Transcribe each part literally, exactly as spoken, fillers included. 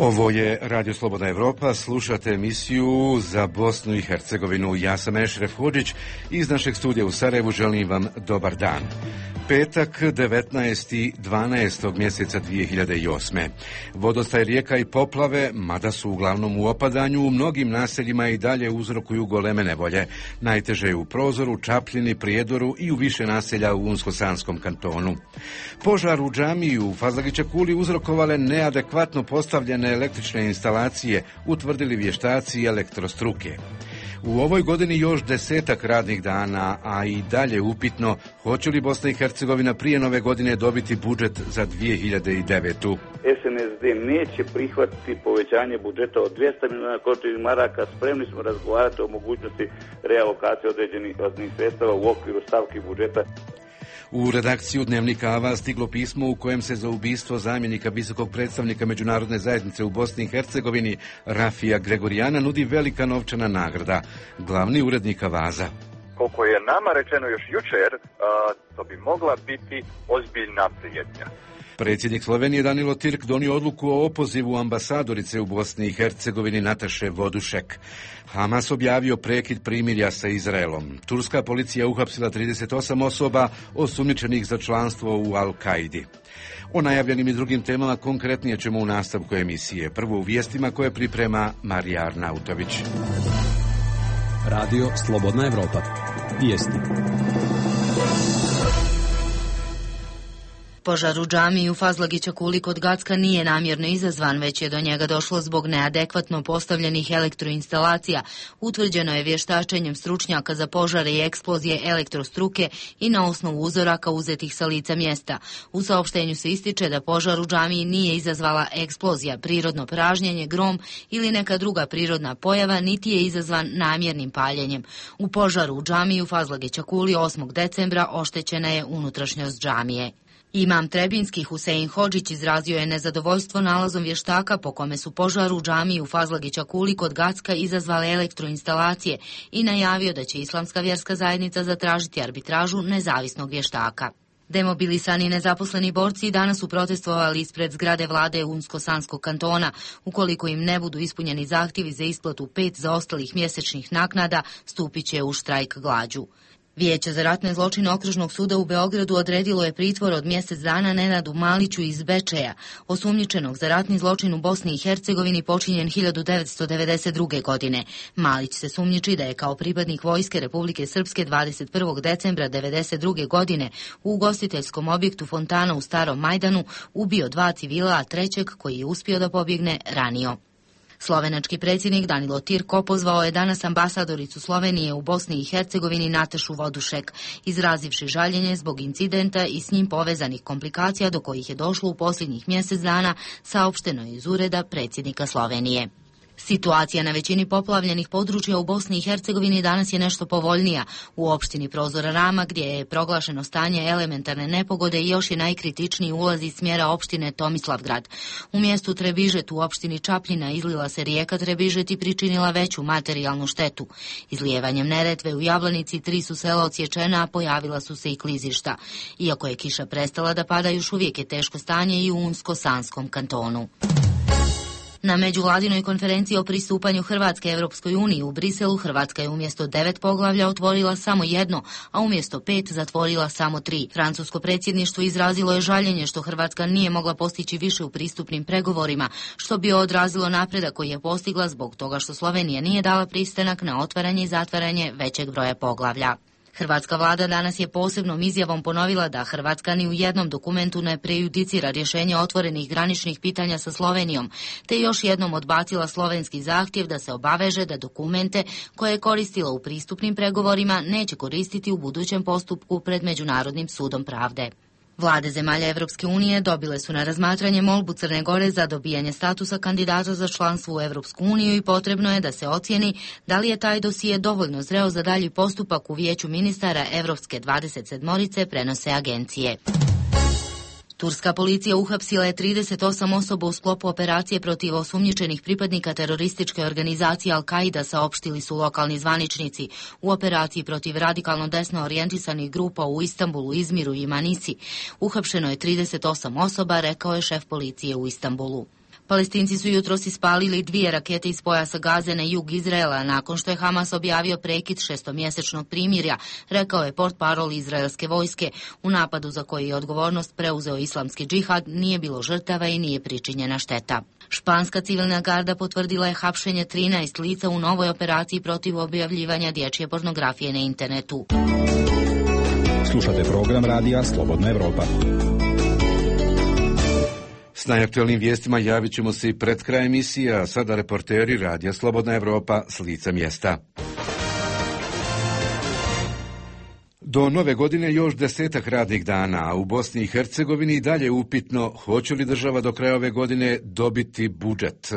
Ovo je Radio Slobodna Evropa, slušate emisiju za Bosnu i Hercegovinu. Ja sam Ešref Hodžić, iz našeg studija u Sarajevu želim vam dobar dan. Petak, devetnaestog dvanaestog mjeseca dvije hiljade osme. Vodostaj rijeka i poplave, mada su uglavnom u opadanju, u mnogim naseljima i dalje uzrokuju goleme nevolje. Najteže je u Prozoru, Čapljini, Prijedoru i u više naselja u Unsko-Sanskom kantonu. Požar u džamiji u Fazlagića Kuli uzrokovale neadekvatno postavljene električne instalacije, utvrdili vještaci elektrostruke. U ovoj godini još desetak radnih dana, a i dalje upitno hoće li Bosna i Hercegovina prije nove godine dobiti budžet za dvije hiljade devetu. S N S D neće prihvatiti povećanje budžeta od dvjesto milijuna končanih maraka. Spremni smo razgovarati o mogućnosti realokacije određenih sredstava u okviru stavki budžeta. U redakciju Dnevnika Ava stiglo pismo u kojem se za ubistvo zamjenika visokog predstavnika međunarodne zajednice u Bosni i Hercegovini Rafija Gregorijana nudi velika novčana nagrada. Glavni urednik Avaza. Koliko je nama rečeno još jučer, to bi mogla biti ozbiljna prijetnja. Predsjednik Slovenije Danilo Tirk donio odluku o opozivu ambasadorice u Bosni i Hercegovini Nataše Vodušek. Hamas objavio prekid primirja sa Izraelom. Turska policija uhapsila trideset osam osoba osumnjičenih za članstvo u Al-Kaidi. O najavljenim i drugim temama konkretnije ćemo u nastavku emisije. Prvo u vijestima koje priprema Marija Arnautović. Radio Slobodna Evropa. Vijesti. Požar u džamiji u Fazlagića Kuli kod Gacka nije namjerno izazvan, već je do njega došlo zbog neadekvatno postavljenih elektroinstalacija. Utvrđeno je vještačenjem stručnjaka za požare i eksplozije elektrostruke i na osnovu uzoraka uzetih sa lica mjesta. U saopštenju se ističe da požar u džamiji nije izazvala eksplozija, prirodno pražnjenje, grom ili neka druga prirodna pojava, niti je izazvan namjernim paljenjem. U požaru u džamiji u Fazlagića Kuli osmog decembra oštećena je unutrašnjost džamije. Imam Trebinski Husein Hodžić izrazio je nezadovoljstvo nalazom vještaka po kome su požar u džamiji u Fazlagića Kuli kod Gacka izazvale elektroinstalacije i najavio da će Islamska vjerska zajednica zatražiti arbitražu nezavisnog vještaka. Demobilisani nezaposleni borci danas su protestovali ispred zgrade vlade Unsko-Sanskog kantona. Ukoliko im ne budu ispunjeni zahtjevi za isplatu pet zaostalih mjesečnih naknada, stupit će u štrajk glađu. Vijeće za ratne zločine Okružnog suda u Beogradu odredilo je pritvor od mjesec dana Nenadu Maliću iz Bečeja, osumnjičenog za ratni zločin u Bosni i Hercegovini počinjen hiljadu devetsto devedeset druge. godine. Malić se sumnjiči da je kao pripadnik vojske Republike Srpske dvadeset prvog decembra devedeset druge. godine u ugostiteljskom objektu Fontana u Starom Majdanu ubio dva civila, a trećeg, koji je uspio da pobjegne, ranio. Slovenački predsjednik Danilo Tirk opozvao je danas ambasadoricu Slovenije u Bosni i Hercegovini Natašu Vodušek, izrazivši žaljenje zbog incidenta i s njim povezanih komplikacija do kojih je došlo u posljednjih mjesec dana, saopšteno je iz ureda predsjednika Slovenije. Situacija na većini poplavljenih područja u Bosni i Hercegovini danas je nešto povoljnija. U opštini Prozora Rama, gdje je proglašeno stanje elementarne nepogode, još je najkritičniji ulaz iz smjera opštine Tomislavgrad. U mjestu Trebižet u opštini Čapljina izlila se rijeka Trebižet i pričinila veću materijalnu štetu. Izlijevanjem Neretve u Jablanici tri su sela odsječena, a pojavila su se i klizišta. Iako je kiša prestala da pada, još uvijek je teško stanje i u Unsko-Sanskom kantonu. Na međuvladinoj konferenciji o pristupanju Hrvatske Europskoj uniji u Briselu, Hrvatska je umjesto devet poglavlja otvorila samo jedno, a umjesto pet zatvorila samo tri. Francusko predsjedništvo izrazilo je žaljenje što Hrvatska nije mogla postići više u pristupnim pregovorima, što bi odrazilo napredak koji je postigla zbog toga što Slovenija nije dala pristanak na otvaranje i zatvaranje većeg broja poglavlja. Hrvatska vlada danas je posebnom izjavom ponovila da Hrvatska ni u jednom dokumentu ne prejudicira rješenje otvorenih graničnih pitanja sa Slovenijom, te još jednom odbacila slovenski zahtjev da se obaveže da dokumente koje je koristila u pristupnim pregovorima neće koristiti u budućem postupku pred Međunarodnim sudom pravde. Vlade zemalja Evropske unije dobile su na razmatranje molbu Crne Gore za dobijanje statusa kandidata za članstvo u Evropsku uniju i potrebno je da se ocijeni da li je taj dosije dovoljno zreo za dalji postupak u Vijeću ministara Evropske dvadeset sedmorice, prenose agencije. Turska policija uhapsila je trideset osam osoba u sklopu operacije protiv osumnjičenih pripadnika terorističke organizacije Al-Kaida, saopštili su lokalni zvaničnici. U operaciji protiv radikalno desno orijentisanih grupa u Istanbulu, Izmiru i Manisi uhapšeno je trideset osam osoba, rekao je šef policije u Istanbulu. Palestinci su jutros ispalili dvije rakete iz pojasa Gaze na jug Izraela nakon što je Hamas objavio prekid šestomjesečnog primirja, rekao je portparol izraelske vojske. U napadu za koji je odgovornost preuzeo islamski džihad nije bilo žrtava i nije pričinjena šteta. Španska civilna garda potvrdila je hapšenje trinaest lica u novoj operaciji protiv objavljivanja dječje pornografije na internetu. Slušate program radija Slobodna Evropa. S najaktualnim vijestima javit ćemo se i pred kraj emisije, a sada reporteri radija Slobodna Evropa s lica mjesta. Do nove godine još desetak radnih dana, a u Bosni i Hercegovini i dalje upitno hoće li država do kraja ove godine dobiti budžet.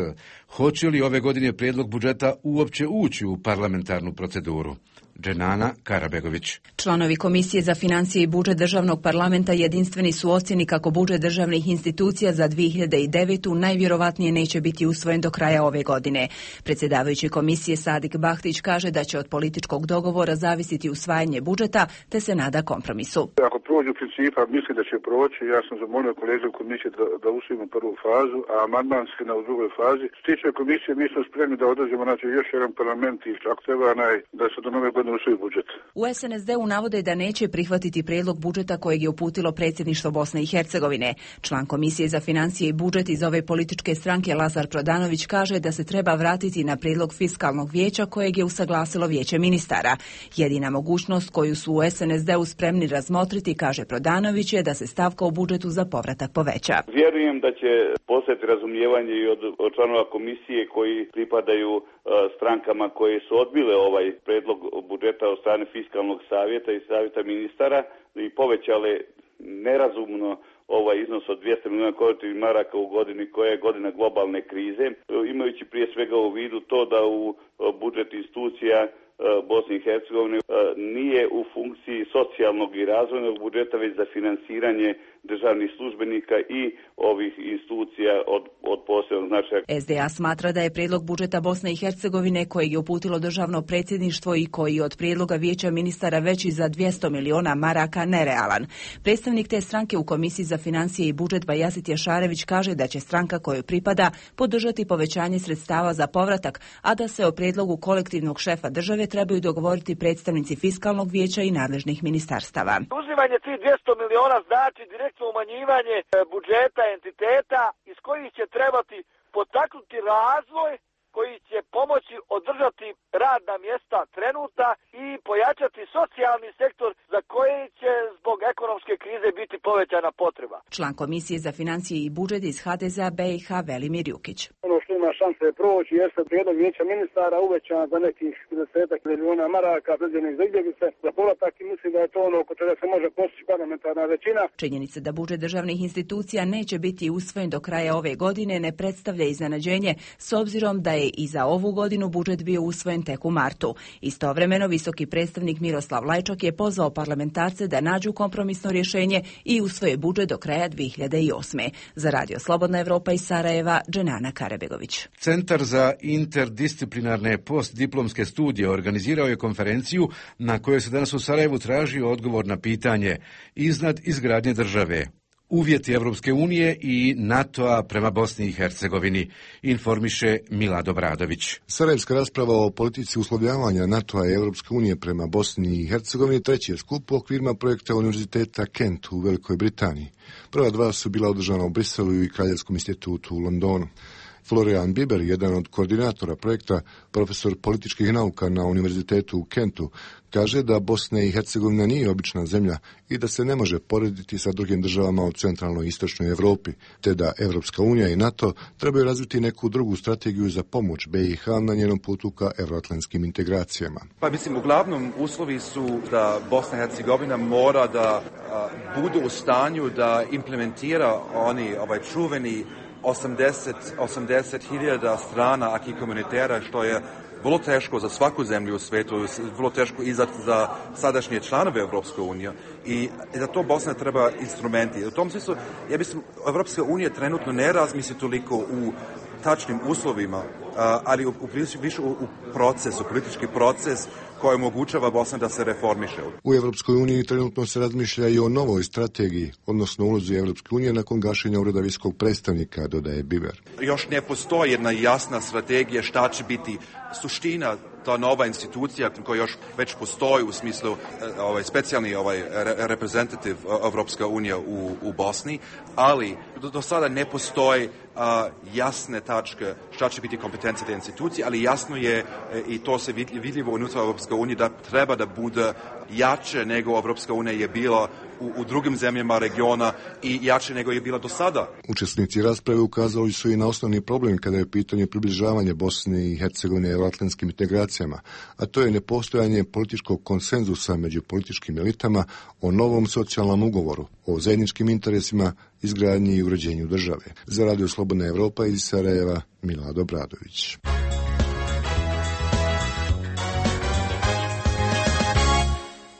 Hoće li ove godine prijedlog budžeta uopće ući u parlamentarnu proceduru? Dženana Karabegović. Članovi Komisije za financije i budžet državnog parlamenta jedinstveni su ocjeni kako budžet državnih institucija za dvije hiljade devetu najvjerovatnije neće biti usvojen do kraja ove godine. Predsjedavajući komisije Sadik Bahtić kaže da će od političkog dogovora zavisiti usvajanje budžeta, te se nada kompromisu. Ako prođu principa, mislim da će proći. Ja sam zamolio kolege u komisiji da, da usvojimo prvu fazu, a amandmanski na u drugoj fazi. Što tiče komisije, mi smo spremni da održimo znači, još jedan parlament i ako treba naj, da se do nove godine usvoji budžet. U es en es de-u navode da neće prihvatiti prijedlog budžeta kojeg je uputilo predsjedništvo Bosne i Hercegovine. Član Komisije za financije i budžet iz ove političke stranke Lazar Prodanović kaže da se treba vratiti na prijedlog fiskalnog vijeća kojeg je usaglasilo vijeće ministara. Jedina mogućnost koju su u es en es de-u spremni razmotriti, kaže Prodanović, je da se stavka u budžetu za povratak poveća. Vjerujem da će postojati razumijevanje i od, od članova komisije koji pripadaju uh, strankama koje su odbile ovaj predlog budžeta od strane fiskalnog savjeta i savjeta ministara i povećale nerazumno ovaj iznos od dvjesto milijuna konvertibilnih maraka u godini koja je godina globalne krize, imajući prije svega u vidu to da u budžet institucija Bosne i Hercegovine nije u funkciji socijalnog i razvojnog budžeta, već za finansiranje državnih službenika i ovih institucija od, od posebnog značaja. es de a smatra da je prijedlog budžeta Bosne i Hercegovine kojeg je uputilo državno predsjedništvo i koji od prijedloga vijeća ministara veći za dvjesto milijuna maraka nerealan. Predstavnik te stranke u Komisiji za financije i budžet Bajazit Jašarević kaže da će stranka kojoj pripada podržati povećanje sredstava za povratak, a da se o prijedlogu kolektivnog šefa države trebaju dogovoriti predstavnici fiskalnog vijeća i nadležnih ministarstava. Uzimanje tih dvjesto miliona znači direktno umanjivanje budžeta entiteta iz kojih će trebati potaknuti razvoj koji će pomoći održati radna mjesta trenutna i pojačati socijalni sektor za koji će zbog ekonomske krize biti povećana potreba. Član Komisije za financije i budžet iz ha de ze a be i ha Velimir Jukić. Ono što ima šanse proći jeste prijedlog vijeća ministara uvećan za nekih desetak milijuna maraka predviđenih za izbjeglice za povratak i mislim da je to ono oko čega se može postići parlamentarna većina. Činjenica da budžet državnih institucija neće biti usvojen do kraja ove godine ne predstavlja iznenađenje s obzirom da je i za ovu godinu budžet bio usvojen tek u martu. Istovremeno, visoki predstavnik Miroslav Lajčak je pozvao parlamentarce da nađu kompromisno rješenje i usvoje budžet do kraja dvije hiljade osme. Za Radio Slobodna Evropa iz Sarajeva, Dženana Karabegović. Centar za interdisciplinarne postdiplomske studije organizirao je konferenciju na kojoj se danas u Sarajevu traži odgovor na pitanje iznad izgradnje države. Uvjeti Evropske unije i NATO-a prema Bosni i Hercegovini, informiše Milado Bradović. Sarajevska rasprava o politici uslovljavanja NATO-a i Evropske unije prema Bosni i Hercegovini treći je skup u okvirima projekta Univerziteta Kent u Velikoj Britaniji. Prva dva su bila održana u Briselu i Kraljevskom institutu u Londonu. Florian Biber, jedan od koordinatora projekta, profesor političkih nauka na Univerzitetu u Kentu, kaže da Bosna i Hercegovina nije obična zemlja i da se ne može porediti sa drugim državama u centralnoj i istočnoj Evropi, te da Evropska unija i NATO trebaju razviti neku drugu strategiju za pomoć be i ha na njenom putu ka evroatlantskim integracijama. Pa mislim, uglavnom uslovi su da Bosna i Hercegovina mora da a, budu u stanju da implementira oni ovaj čuveni osamdeset hiljada strana aki komunitera, što je vrlo teško za svaku zemlju u svijetu, vrlo teško i za, za sadašnje članove Evropske unije. I za to Bosna treba instrumenti. U tom smislu, ja mislim, Evropska unija trenutno ne razmisli toliko u tačnim uslovima, ali u, u, više u, u proces, u politički proces koja omogućava Bosna da se reformiše. U Evropskoj uniji trenutno se razmišlja i o novoj strategiji, odnosno ulozi Evropske unije nakon gašenja ureda visokog predstavnika, dodaje Biber. Još ne postoji jedna jasna strategija šta će biti suština ta nova institucija koja još već postoji u smislu ovaj specijalni ovaj reprezentativ Evropska unija u, u Bosni, ali do, do sada ne postoji a, jasne tačke šta će biti kompetencija te institucije, ali jasno je i to se vidljivo unutar Evropske unije da treba da bude jače nego Evropska unija je bila u, u drugim zemljama regiona i jače nego je bila do sada. Učesnici rasprave ukazali su i na osnovni problem kada je pitanje približavanja Bosne i Hercegovine euroatlantskim integracijama, a to je nepostojanje političkog konsenzusa među političkim elitama o novom socijalnom ugovoru, o zajedničkim interesima, izgradnji i uređenju države. Za Radio Slobodna Evropa iz Sarajeva, Milad Obradović.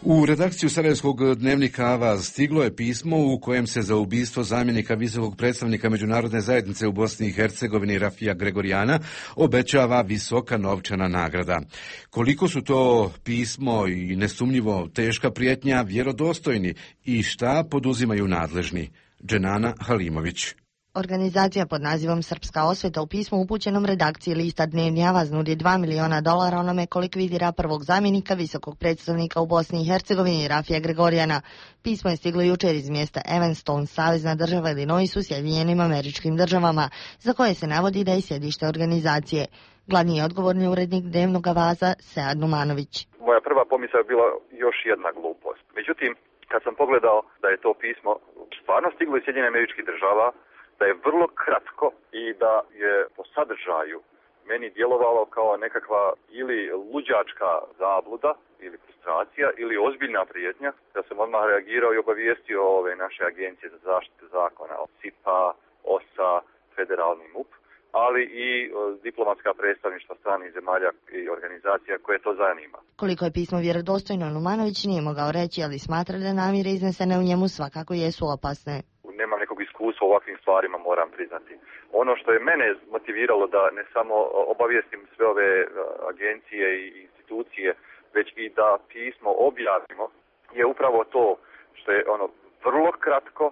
U redakciju Sarajevskog dnevnika Avaz stiglo je pismo u kojem se za ubistvo zamjenika visokog predstavnika međunarodne zajednice u Bosni i Hercegovini Rafija Gregorijana obećava visoka novčana nagrada. Koliko su to pismo i nesumnjivo teška prijetnja vjerodostojni i šta poduzimaju nadležni? Dženana Halimović. Organizacija pod nazivom Srpska osveta u pismu upućenom redakciji lista Dnevni Avaz nudi dva miliona dolara onome ko likvidira prvog zamjenika visokog predstavnika u Bosni i Hercegovini Rafija Gregorijana. Pismo je stiglo jučer iz mjesta Evanston, savezna država Illinois u Sjedinjenim Američkim Državama, za koje se navodi da je sjedište organizacije. Glavni je odgovorni urednik Dnevnog Avaza Sead Numanović. Moja prva pomisao je bila još jedna glupost. Međutim, kad sam pogledao da je to pismo stvarno stiglo iz Sjedinjenih Američkih Država, da je vrlo kratko i da je po sadržaju meni djelovalo kao nekakva ili luđačka zabluda ili frustracija ili ozbiljna prijetnja, da sam odmah reagirao i obavijestio ove naše agencije za zaštitu zakona, S I P A, O S A, Federalni M U P, ali i diplomatska predstavništva stranih zemalja i organizacija koje to zanima. Koliko je pismo vjerodostojno, Numanović nije mogao reći, ali smatra da namjere iznesene u njemu svakako jesu opasne. Nemam nekog iskustva u ovakvim stvarima, moram priznati. Ono što je mene motiviralo da ne samo obavijestim sve ove agencije i institucije, već i da pismo objavimo, je upravo to što je ono vrlo kratko,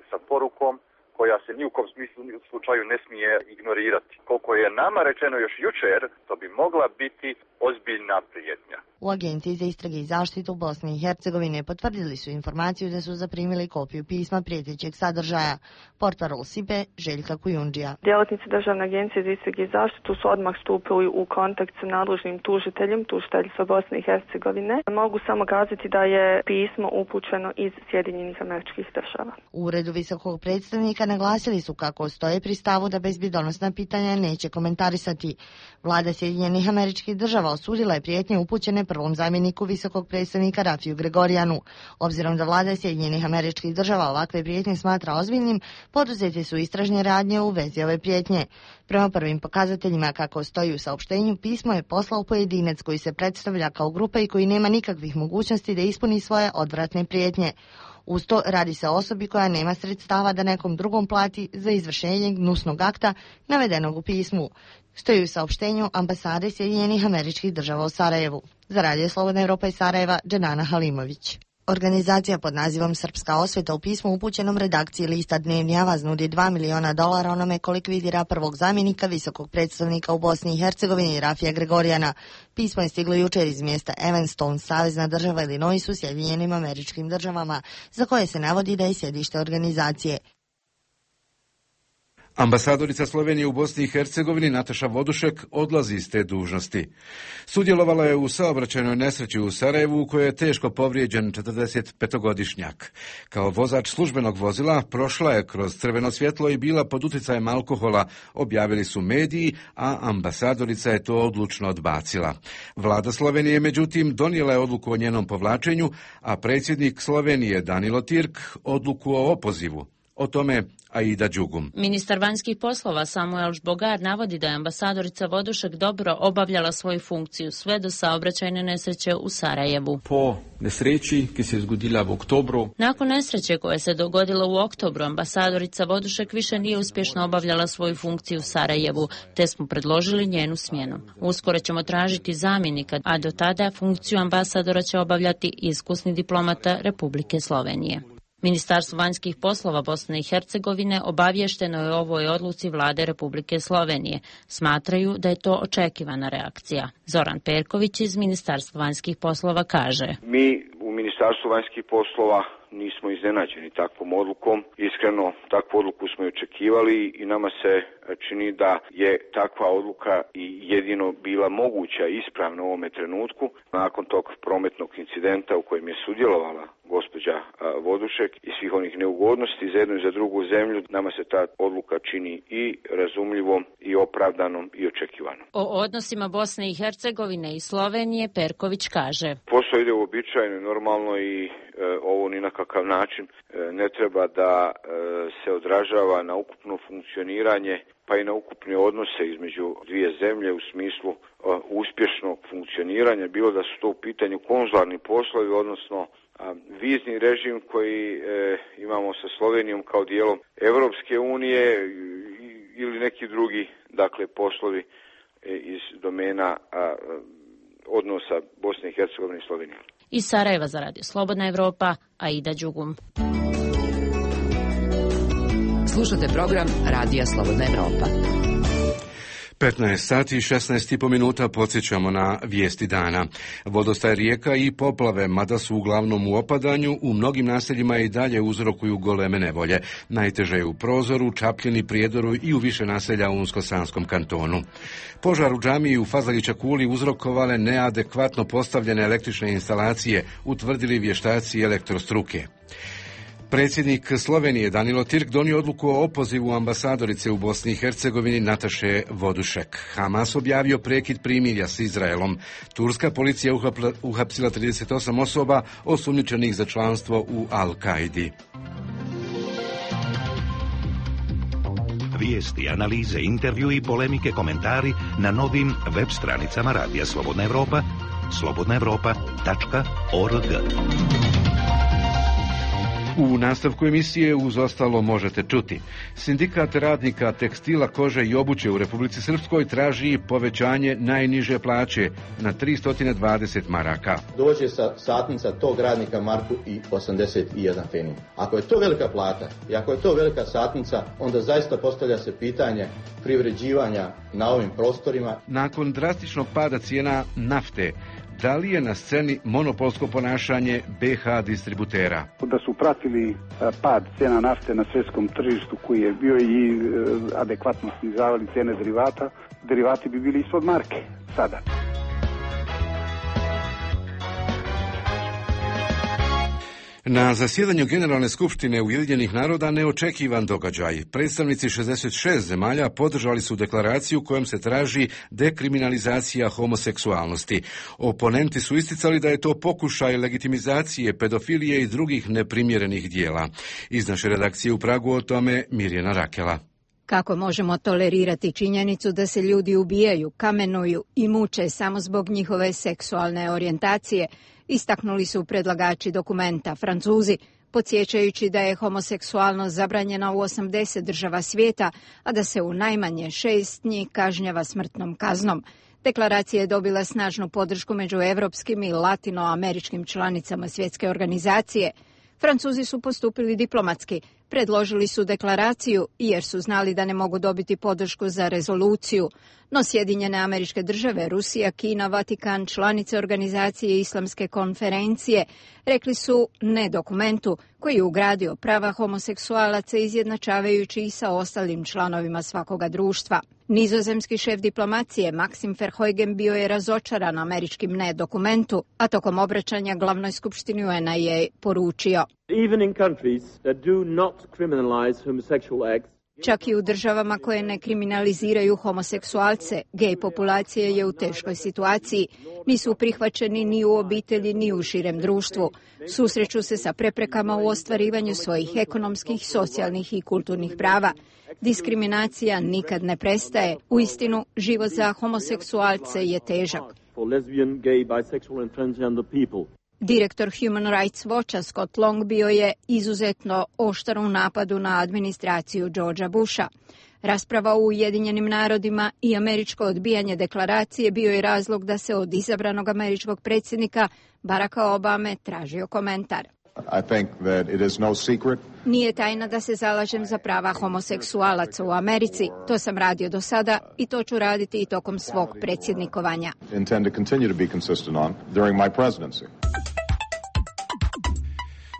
sa porukom koja se ni u kom smislu ni u slučaju ne smije ignorirati. Koliko je nama rečeno još jučer, to bi mogla biti ozbiljna prijetnja. U Agenciji za istrage i zaštitu Bosne i Hercegovine potvrdili su informaciju da su zaprimili kopiju pisma prijetećeg sadržaja. Portparol S I P E Željka Kujundžija. Djelatnici Državne agencije za istrage i zaštitu su odmah stupili u kontakt sa nadležnim tužiteljem, tužiteljstva Bosne i Hercegovine. Mogu samo kazati da je pismo upućeno iz Sjedinjenih Američkih Država. U uredu visokog predstavnika naglasili su kako stoje pri stavu da bezbjedonosna pitanja neće komentarisati. Vlada Sjedinjenih Američkih Država osudila je prijetnje upućene prvom zamjeniku visokog predstavnika Rafiju Gregorijanu. Obzirom da vlada Sjedinjenih Američkih Država ovakve prijetnje smatra ozbiljnim, poduzete su istražne radnje u vezi ove prijetnje. Prema prvim pokazateljima kako stoji u saopštenju, pismo je poslao pojedinac koji se predstavlja kao grupa i koji nema nikakvih mogućnosti da ispuni svoje odvratne prijetnje. Uz to radi se o osobi koja nema sredstava da nekom drugom plati za izvršenje gnusnog akta navedenog u pismu. Stoji u saopštenju ambasade Sjedinjenih Američkih Država u Sarajevu. Za Radio Slobodna Evropa iz Sarajeva, Dženana Halimović. Organizacija pod nazivom Srpska osveta u pismu upućenom redakciji lista Dnevni Avaz nudi dva miliona dolara onome ko likvidira prvog zamjenika visokog predstavnika u Bosni i Hercegovini Rafija Gregorijana. Pismo je stiglo jučer iz mjesta Evanston, savezna država Illinois u Sjedinjenim Američkim Državama, za koje se navodi da je sjedište organizacije. Ambasadorica Slovenije u Bosni i Hercegovini Nataša Vodušek odlazi iz te dužnosti. Sudjelovala je u saobraćajnoj nesreći u Sarajevu u kojoj je teško povrijeđen četrdesetpetogodišnjak. Kao vozač službenog vozila prošla je kroz crveno svjetlo i bila pod utjecajem alkohola, objavili su mediji, a ambasadorica je to odlučno odbacila. Vlada Slovenije, međutim, donijela je odluku o njenom povlačenju, a predsjednik Slovenije Danilo Tirk odluku o opozivu. O tome Aida Đugum. Ministar vanjskih poslova Samuel Žbogar navodi da je ambasadorica Vodušek dobro obavljala svoju funkciju sve do saobraćajne nesreće u Sarajevu. Po nesreći ki se je zgodila v oktobru. Nakon nesreće koja se dogodila u oktobru, ambasadorica Vodušek više nije uspješno obavljala svoju funkciju u Sarajevu, te smo predložili njenu smjenu. Uskoro ćemo tražiti zamjenika, a do tada funkciju ambasadora će obavljati iskusni diplomata Republike Slovenije. Ministarstvo vanjskih poslova Bosne i Hercegovine obavješteno je o ovoj odluci vlade Republike Slovenije. Smatraju da je to očekivana reakcija. Zoran Perković iz Ministarstva vanjskih poslova kaže: Mi u Ministarstvu vanjskih poslova nismo iznenađeni takvom odlukom. Iskreno, takvu odluku smo i očekivali i nama se čini da je takva odluka i jedino bila moguća i ispravna u ovome trenutku. Nakon tog prometnog incidenta u kojem je sudjelovala gospođa Vodušek i svih onih neugodnosti za jednu i za drugu zemlju, nama se ta odluka čini i razumljivom i opravdanom i očekivanom. O odnosima Bosne i Hercegovine i Slovenije Perković kaže: Posao ide uobičajeno i normalno i e, ovo ni na kakav način e, ne treba da e, se odražava na ukupno funkcioniranje pa i na ukupne odnose između dvije zemlje u smislu e, uspješnog funkcioniranja, bilo da su to u pitanju konzularni poslovi, odnosno vizni režim koji e, imamo sa Slovenijom kao dijelom Europske unije ili neki drugi, dakle, poslovi e, iz domena a, odnosa Bosne i Hercegovine i Slovenije. Iz Sarajeva za Radio Slobodna Evropa, Aida Đugum. Slušate program Radija Slobodna Evropa. petnaest sati i šesnaest i po minuta podsjećamo na vijesti dana. Vodostaj rijeka i poplave, mada su uglavnom u opadanju, u mnogim naseljima i dalje uzrokuju goleme nevolje. Najteže je u Prozoru, Čapljini, Prijedoru i u više naselja u Unsko-Sanskom kantonu. Požar u džamiji u Fazlagića Kuli uzrokovale neadekvatno postavljene električne instalacije, utvrdili vještaci elektrostruke. Predsjednik Slovenije Danilo Tirk donio odluku o opozivu ambasadorice u Bosni i Hercegovini Nataše Vodušek. Hamas objavio prekid primirja s Izraelom. Turska policija uhapsila trideset osam osoba osumnjičenih za članstvo u Al-Kaidi. Vijesti, analize, intervju i polemike, komentari na novim web stranicama Radija Slobodna Evropa, slobodna evropa tačka org. U nastavku emisije uz ostalo možete čuti. Sindikat radnika tekstila, kože i obuće u Republici Srpskoj traži povećanje najniže plaće na tristo dvadeset maraka. Dođe sa satnica tog radnika marku i osamdeset jedan fenin. Ako je to velika plata i ako je to velika satnica, onda zaista postavlja se pitanje privređivanja na ovim prostorima. Nakon drastičnog pada cijena nafte, da li je na sceni monopolsko ponašanje be ha distributera? Da su pratili pad cijena nafte na svjetskom tržištu koji je bio i adekvatno snizavali cijene derivata, derivati bi bili ispod marke sada. Na zasjedanju Generalne skupštine Ujedinjenih naroda neočekivan događaj. Predstavnici šezdeset šest zemalja podržali su deklaraciju kojom se traži dekriminalizacija homoseksualnosti. Oponenti su isticali da je to pokušaj legitimizacije pedofilije i drugih neprimjerenih dijela. Iz naše redakcije u Pragu o tome Mirjana Rakela. Kako možemo tolerirati činjenicu da se ljudi ubijaju, kamenuju i muče samo zbog njihove seksualne orijentacije, istaknuli su predlagači dokumenta Francuzi, podsjećajući da je homoseksualnost zabranjena u osamdeset država svijeta, a da se u najmanje šest njih kažnjava smrtnom kaznom. Deklaracija je dobila snažnu podršku među evropskim i latinoameričkim članicama svjetske organizacije. Francuzi su postupili diplomatski, predložili su deklaraciju jer su znali da ne mogu dobiti podršku za rezoluciju, no Sjedinjene Američke Države, Rusija, Kina, Vatikan, članice organizacije Islamske konferencije rekli su ne dokumentu koji je ugradio prava homoseksualaca izjednačavajući ih sa ostalim članovima svakoga društva. Nizozemski šef diplomacije Maxim Verheugen bio je razočaran američkim ne dokumentu, a tokom obraćanja glavnoj skupštini U N A je poručio: Even in countries that do not criminalize homosexual acts, Čak i u državama koje ne kriminaliziraju homoseksualce, gej populacija je u teškoj situaciji. Nisu prihvaćeni ni u obitelji, ni u širem društvu. Susreću se sa preprekama u ostvarivanju svojih ekonomskih, socijalnih i kulturnih prava. Diskriminacija nikad ne prestaje. Uistinu, život za homoseksualce je težak. Direktor Human Rights Watcha Scott Long bio je izuzetno oštar u napadu na administraciju Georgea Busha. Rasprava u Ujedinjenim narodima i američko odbijanje deklaracije bio je razlog da se od izabranog američkog predsjednika Baracka Obame tražio komentar. I think that it is no secret. Nije tajna da se zalažem za prava homoseksualaca u Americi. To sam radio do sada i to ću raditi i tokom svog predsjednikovanja. Intend to continue to be consistent on during my presidency.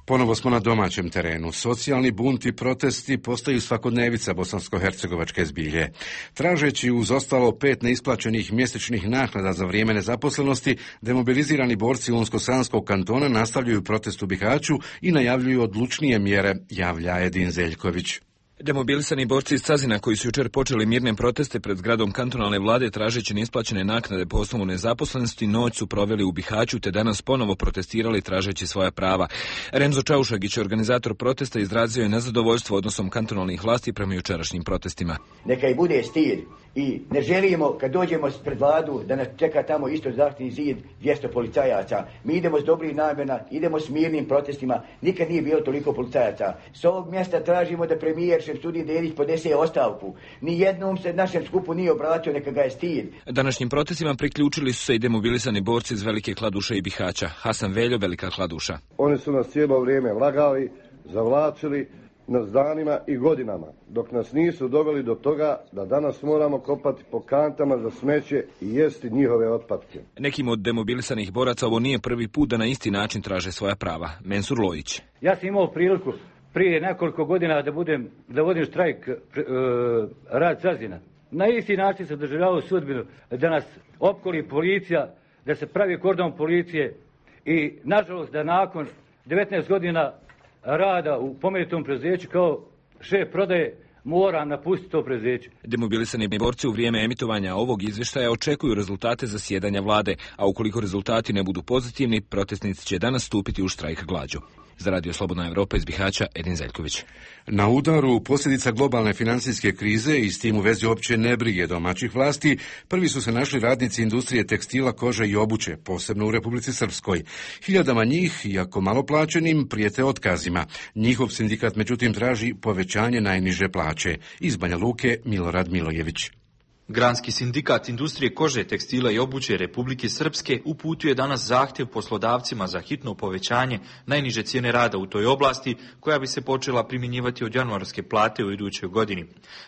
Ponovo smo na domaćem terenu. Socijalni bunt i protesti postaju svakodnevica bosansko-hercegovačke zbilje. Tražeći uz ostalo pet neisplaćenih mjesečnih naknada za vrijeme nezaposlenosti, demobilizirani borci Unsko-Sanskog kantona nastavljaju protest u Bihaću i najavljuju odlučnije mjere, javlja Edin Zeljković. Demobilisani borci iz Cazina koji su jučer počeli mirne proteste pred zgradom kantonalne vlade tražeći neisplaćene naknade po osnovu nezaposlenosti, noć su proveli u Bihaću te danas ponovo protestirali tražeći svoja prava. Renzo Čaušagić, organizator protesta, izrazio je nezadovoljstvo odnosom kantonalnih vlasti prema jučerašnjim protestima. Neka i bude stid i ne želimo kad dođemo pred vladu da nas čeka tamo isto zaštitni zid dvjesto policajaca. Mi idemo s dobrih namjera, idemo s mirnim protestima, nikad nije bilo toliko policajaca. S ovog mjesta tražimo da premijer Šemsudin Dedić podese ostavku. Nijednom se našem skupu nije obratio, neka ga je stid. Današnjim protestima priključili su se i demobilisani borci iz Velike Kladuše i Bihaća. Hasan Veljo, Velika Kladuša. Oni su nas cijelo vrijeme lagali, zavlačili nas danima i godinama, dok nas nisu doveli do toga da danas moramo kopati po kantama za smeće i jesti njihove otpadke. Nekim od demobilisanih boraca ovo nije prvi put da na isti način traže svoja prava. Mensur Lojić. Ja sam imao priliku prije nekoliko godina da budem da vodim štrajk e, rad Cazina. Na isti način sam doživljavao sudbinu da nas opkoli policija, da se pravi kordon policije i nažalost da nakon devetnaest godina rada u pomenutom preduzeću kao šef prodaje mora napustiti to preduzeće. Demobilisani borci u vrijeme emitovanja ovog izvještaja očekuju rezultate zasjedanja vlade, a ukoliko rezultati ne budu pozitivni, protestnici će danas stupiti u štrajk glađu. Za Radio Slobodna Evropa iz Bihaća, Edin Zeljković. Na udaru posljedica globalne financijske krize i s tim u vezi opće nebrige domaćih vlasti, prvi su se našli radnici industrije tekstila, kože i obuće, posebno u Republici Srpskoj. Hiljadama njih, iako malo plaćenim, prijete otkazima. Njihov sindikat međutim traži povećanje najniže plaće. Iz Banja Luke, Milorad Milojević. Granski sindikat industrije kože, tekstila i obuće Republike Srpske uputio je danas zahtjev poslodavcima za hitno povećanje najniže cijene rada u toj oblasti, koja bi se počela primjenjivati od januarske plate u idućoj godini.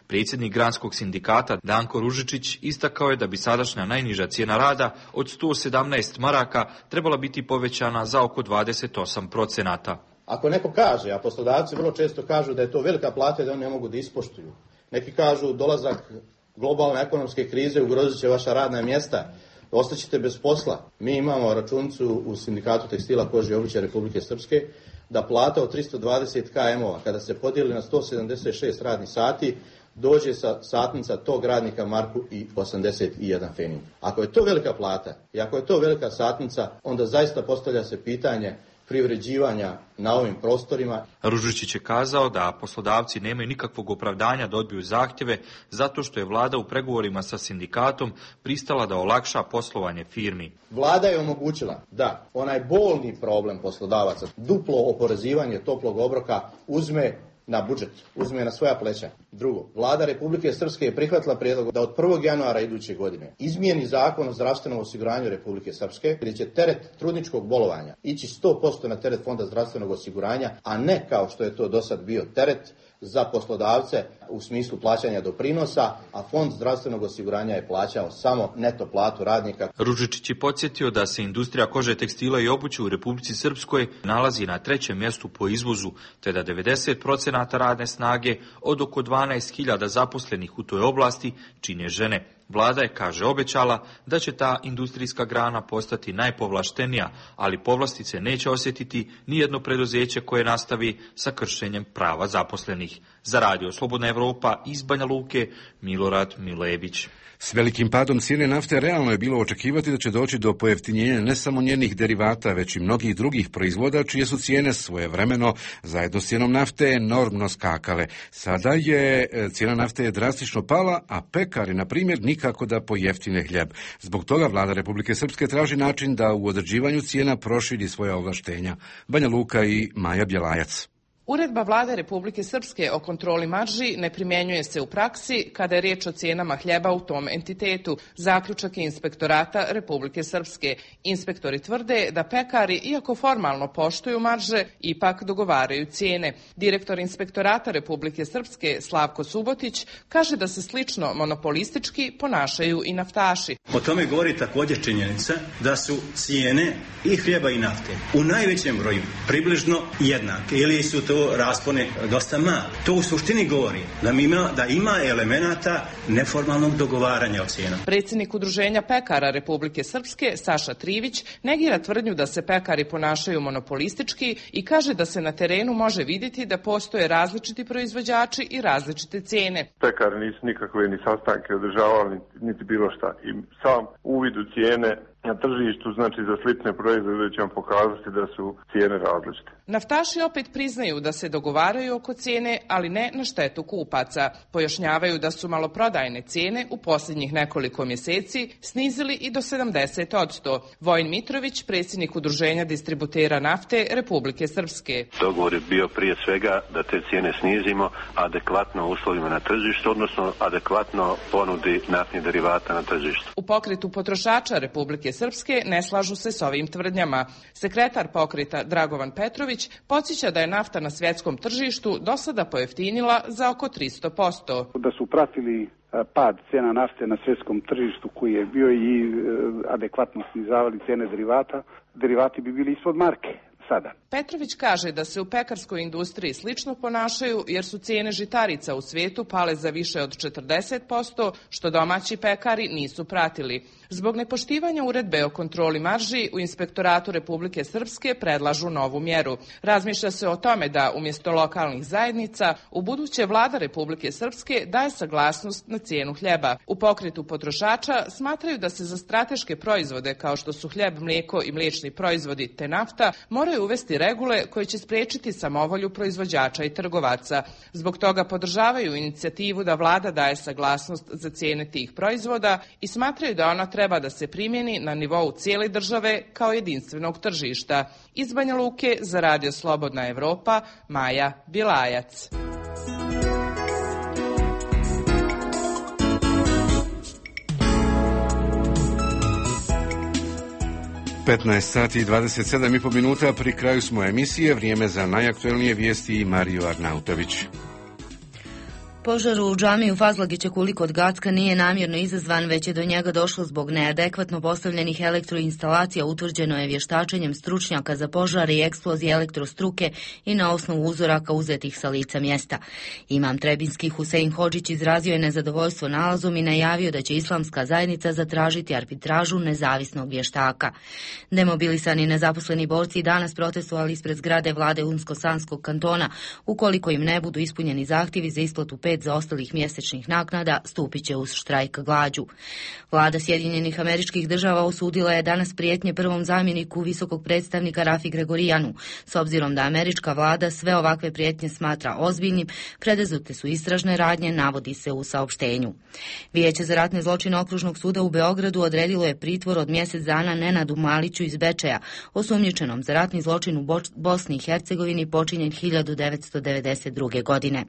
Predsjednik Granskog sindikata Danko Ružičić istakao je da bi sadašnja najniža cijena rada od sto sedamnaest maraka trebala biti povećana za oko dvadeset osam procenata. Ako neko kaže, a poslodavci vrlo često kažu da je to velika plata i da oni ne mogu da ispoštuju. Neki kažu dolazak globalne ekonomske krize ugrozit će vaša radna mjesta, ostaćete bez posla. Mi imamo računicu u sindikatu tekstila, kože i obuće Republike Srpske da plata od tristo dvadeset kilometara kada se podijeli na sto sedamdeset šest radnih sati dođe sa satnica tog radnika marku i osamdeset jedan fenin. Ako je to velika plata i ako je to velika satnica, onda zaista postavlja se pitanje privređivanja na ovim prostorima. Ružičić je kazao da poslodavci nemaju nikakvog opravdanja da odbiju zahtjeve zato što je vlada u pregovorima sa sindikatom pristala da olakša poslovanje firmi. Vlada je omogućila da onaj bolni problem poslodavaca, duplo oporezivanje toplog obroka, uzme na budžet, uzme na svoja pleća. Drugo, vlada Republike Srpske je prihvatila prijedlog da od prvog januara iduće godine izmijeni zakon o zdravstvenom osiguranju Republike Srpske, gdje će teret trudničkog bolovanja ići sto posto na teret Fonda zdravstvenog osiguranja, a ne kao što je to do sad bio teret za poslodavce u smislu plaćanja doprinosa, a Fond zdravstvenog osiguranja je plaćao samo neto platu radnika. Ružičić je podsjetio da se industrija kože, tekstila i obuće u Republici Srpskoj nalazi na trećem mjestu po izvozu, te da devedeset procenata radne snage od oko dvanaest hiljada zaposlenih u toj oblasti čine žene. Vlada je, kaže, obećala da će ta industrijska grana postati najpovlaštenija, ali povlastice neće osjetiti ni jedno preduzeće koje nastavi sa kršenjem prava zaposlenih. Za Radio Slobodna Evropa Evropa, iz Banja Luke, Milorad Milević. S velikim padom cijene nafte realno je bilo očekivati da će doći do pojeftinjenja ne samo njenih derivata, već i mnogih drugih proizvoda, čije su cijene svojevremeno zajedno s cijenom nafte enormno skakale. Sada je cijena nafte je drastično pala, a pekari, na primjer, nikako da pojeftine hljeb. Zbog toga vlada Republike Srpske traži način da u određivanju cijena proširi svoja ovlaštenja. Banja Luka i Maja Bjelajac. Uredba vlade Republike Srpske o kontroli marži ne primjenjuje se u praksi kada je riječ o cijenama hljeba u tom entitetu. Zaključak je Inspektorata Republike Srpske. Inspektori tvrde da pekari, iako formalno poštuju marže, ipak dogovaraju cijene. Direktor Inspektorata Republike Srpske Slavko Subotić kaže da se slično monopolistički ponašaju i naftaši. O tome govori također činjenica da su cijene i hljeba i nafte u najvećem broju približno jednake ili su to raspone dosta mali. To u suštini govori da ima, da ima elemenata neformalnog dogovaranja o cijenama. Predsjednik Udruženja pekara Republike Srpske Saša Trivić negira tvrdnju da se pekari ponašaju monopolistički i kaže da se na terenu može vidjeti da postoje različiti proizvođači i različite cijene. Pekari nisu nikakve ni sastanke održavali, niti bilo šta. I sam uvid u cijene na tržištu, znači za slične proizvode će vam pokazati da su cijene različite. Naftaši opet priznaju da se dogovaraju oko cijene, ali ne na štetu kupaca. Pojašnjavaju da su maloprodajne cijene u posljednjih nekoliko mjeseci snizili i do sedamdeset posto. Vojin Mitrović, predsjednik Udruženja distributera nafte Republike Srpske. Dogovor je bio prije svega da te cijene snizimo adekvatno uslovima na tržištu, odnosno adekvatno ponudi naftnih derivata na tržištu. U pokretu potrošača Republike Srpske ne slažu se s ovim tvrdnjama. Sekretar pokreta Dragovan Petrović podsjeća da je nafta na svjetskom tržištu do sada pojeftinila za oko tristo posto. Da su pratili pad cijena nafte na svjetskom tržištu koji je bio i adekvatno snizavali cijene derivata, derivati bi bili ispod marke sada. Petrović kaže da se u pekarskoj industriji slično ponašaju jer su cijene žitarica u svijetu pale za više od četrdeset posto, što domaći pekari nisu pratili. Zbog nepoštivanja uredbe o kontroli marži u Inspektoratu Republike Srpske predlažu novu mjeru. Razmišlja se o tome da umjesto lokalnih zajednica u buduće vlada Republike Srpske daje saglasnost na cijenu hljeba. U pokretu potrošača smatraju da se za strateške proizvode kao što su hljeb, mlijeko i mliječni proizvodi te nafta moraju uvesti regule koje će spriječiti samovolju proizvođača i trgovaca. Zbog toga podržavaju inicijativu da vlada daje saglasnost za cijene tih proizvoda i smatraju da ona treba da se primjeni na nivou cijele države kao jedinstvenog tržišta. Iz Banja Luke za Radio Slobodna Evropa, Maja Bilajac. petnaest sati i dvadeset sedam i pol minuta, pri kraju smo emisije, vrijeme za najaktuelnije vijesti i Mario Arnautović. Požar u džamiji u Fazlagićeku kod Gacka nije namjerno izazvan, već je do njega došlo zbog neadekvatno postavljenih elektroinstalacija, utvrđeno je vještačenjem stručnjaka za požare i eksplozije elektrostruke i na osnovu uzoraka uzetih sa lica mjesta. Imam Trebinski Husein Hodžić izrazio je nezadovoljstvo nalazom i najavio da će islamska zajednica zatražiti arbitražu nezavisnog vještaka. Demobilisani nezaposleni borci danas protestovali ispred zgrade vlade Unsko-Sanskog kantona. Ukoliko im ne budu ispunjeni zahtjevi za isplatu pet zaostalih mjesečnih naknada, stupit će uz štrajk glađu. Vlada Sjedinjenih Američkih Država osudila je danas prijetnje prvom zamjeniku visokog predstavnika Rafi Gregorijanu. S obzirom da američka vlada sve ovakve prijetnje smatra ozbiljnim, preduzete su istražne radnje, navodi se u saopštenju. Vijeće za ratne zločine Okružnog suda u Beogradu odredilo je pritvor od mjesec dana Nenadu Maliću iz Bečeja, osumnjičenom za ratni zločin u Bosni i Hercegovini počinjen hiljadu devetsto devedeset druge. godine.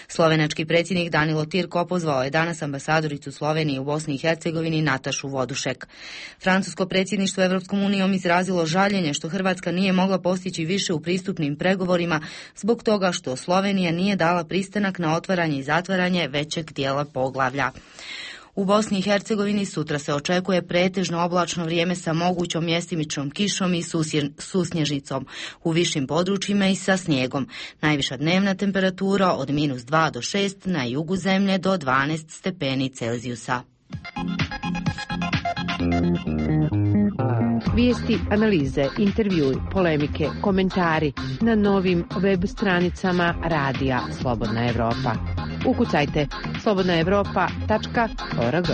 Slovenački predsjednik Danilo Tirko opozvao je danas ambasadoricu Slovenije u Bosni i Hercegovini Natašu Vodušek. Francusko predsjedništvo Evropskom unijom izrazilo žaljenje što Hrvatska nije mogla postići više u pristupnim pregovorima zbog toga što Slovenija nije dala pristanak na otvaranje i zatvaranje većeg dijela poglavlja. U Bosni i Hercegovini sutra se očekuje pretežno oblačno vrijeme sa mogućom mjestimičnom kišom i susnježicom, u višim područjima i sa snijegom. Najviša dnevna temperatura od minus dva do šest, na jugu zemlje do dvanaest stepeni Celzijusa. Vijesti, analize, intervjui, polemike, komentari na novim web stranicama Radija Slobodna Evropa. ukucajte slobodna evropa tačka org.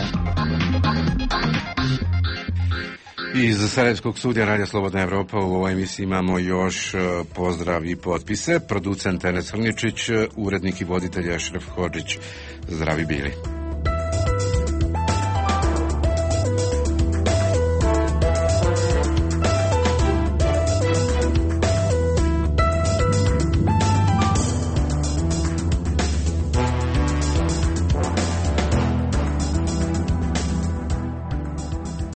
Iz Sarajevskog studija Radija Slobodna Evropa u ovoj emisiji imamo još pozdrav i potpise. Producent Enes Hrničić, urednik i voditelj Ašref Hodžić. Zdravi bili.